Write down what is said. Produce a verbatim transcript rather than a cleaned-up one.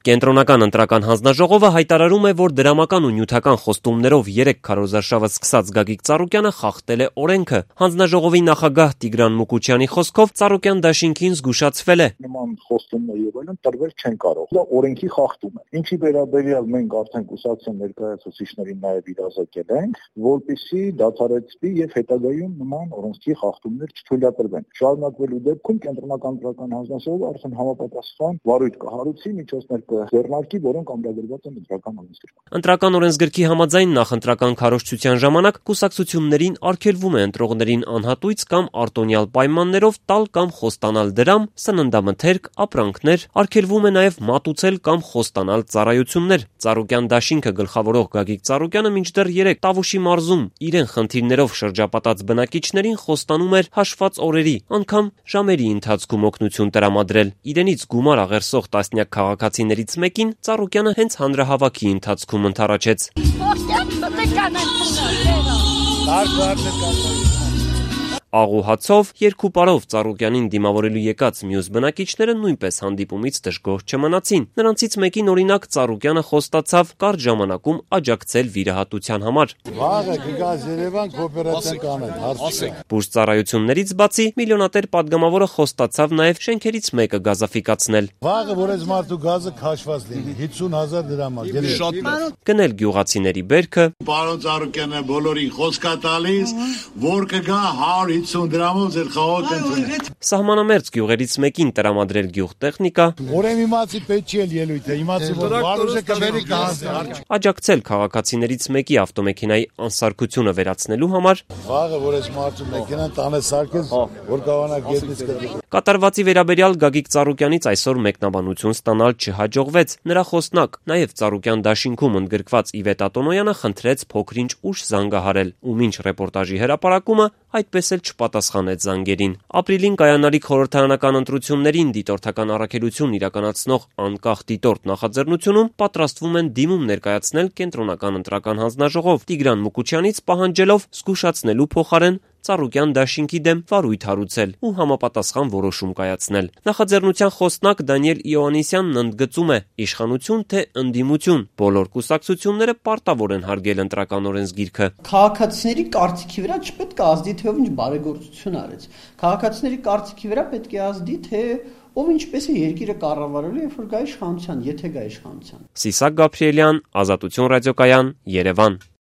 Կենտրոնական ընտրական հանձնաժողովը հայտարարում է, որ դրամական ու նյութական խոստումներով երեք քարոզարշավը սկսած Գագիկ Ծառուկյանը խախտել է օրենքը։ Հանձնաժողովի նախագահ Տիգրան Մուկուչյանի խոսքով Ծառուկյան դաշինքին զգուշացվել է. Նման խոստումներ եւ այլն տրվել չեն կարող։ Դա օրենքի խախտում է։ Ինչի վերաբերյալ մենք արդեն կուսակցության ներկայացուցիչներին նաեւ իրազեկել ենք, որպեսզի դադարեցվի եւ հետագայում նման օրենքի խախտումներ չթույլատրվեն։ Շարունակվելու դեպքում Կենտրոնական ընտրական հանձնաժողովը արդեն համապատասխան վարույթ կհարուցի, միջոցներ կձեռնարկի, որոնք ամրագրված են ընտրական օրենսգրքում։ Ընտրական օրենսգրքի համաձայն նախընտրական քարոզչության ժամանակ կուսակցություններին արգելվում է ընտրողներին անհատույց կամ արտոնյալ պայմաններով տալ կամ խոստանալ դրամ, սննդամթերք, ապրանքներ, արգելվում է նաև մատուցել կամ խոստանալ ծառայություններ։ Ծառուկյան դաշինքը գլխավորող Գագիկ Ծառուկյանը մինչդեռ երեկ Տավուշի մարզում իրեն խնդիրներով շրջապատած բնակիչներին խոստանում էր հաշված օրերի, անգամ ժամերի ընթացքում օգնություն տրամադրել։ Իրենից գումար աղերսող տասնյակ քաղաքացիներից մեկին Ծառուկյանը հենց հանրահավաքի ընթացքում ընդառաջեց։ Աղուհացով, երկու պարով Ծառուկյանին դիմավորելու եկած մյուս բնակիչները նույնպես հանդիպումից դժգոհ չմնացին։ Նրանցից մեկին օրինակ Ծառուկյանը խոստացավ կարճ ժամանակում աջակցել վիրահատության համար։ Վաղը կգաս Երևան կոոպերատիվ կանեն, հարցրեք։ Բուժծառայություններից բացի միլիոնատեր падգամավորը խոստացավ նաև շենքերից մեկը գազաֆիկացնել։ Վաղը որ այս մարդու գազը քաշված լինի, հիսուն հազար դրամ է, շատ լավ։ Գնել գյուղացիների բերքը։ Պարոն Ծառուկյանը բոլորին խոսք է տալիս, որ կգա հարյուր հիսուն դրամով ձեր խաղոտ ընդունեք։ Սահմանամերձ գյուղերից մեկին տրամադրել գյուղտեխնիկա։ Օրեմ իմացի պետք չի ելույթ է, իմացի որ վարուժը կվերի կհանձնի։ Աջակցել քաղաքացիներից մեկի ավտոմեքենայի անսարքությունը վերացնելու համար։ Վաղը որ այս մարդու մեքենան տանը սարքես, որ կարողանա գետնից կտրի։ Կատարվածի վերաբերյալ Գագիկ Ծառուկյանից այսօր մեկնաբանություն ստանալ չհաջողվեց։ Նրա խոսնակ, նաև Ծառուկյան դաշինքում ընդգրկված Իվետ Ատոնոյանը խնդրեց փոքրինչ ուշ զանգահարել, ու մինչ ռեպորտաժի հրապարակումը այդպես էլ չպատասխանեց զանգերին։ Ապրիլին կայանալիք խորհրդարանական ընտրություններին դիտորդական առաքելություն իրականացնող անկախ դիտորդ նախաձեռնությունում պատրաստվում են դիմում ներկայացնել Կենտրոնական ընտրական հանձնաժողով Տիգրան Մուկուչյանից պահանջելով զգուշացնելու փոխարեն Ծառուկյան դաշինքի դեմ վարույթ հարուցել ու համապատասխան որոշում կայացնել։ Նախաձեռնության խոսնակ Դանիել Իոաննիսյանն ընդգծում է. իշխանություն թե ընդդիմություն, բոլոր կուսակցությունները պարտավոր են հարգել ընտրական օրենսգիրքը։ Քաղաքացիների կարծիքի վրա չպետք է ազդի, թե ով ինչ բարեգործություն արեց։ Քաղաքացիների կարծիքի վրա պետք է ազդի, թե ով ինչպես է երկիրը կառավարելու, երբ որ գա իշխանության, եթե գա իշխանության։ Սիսակ Գաբրիելյան, Ազատություն ռադիոկայան, Երևան։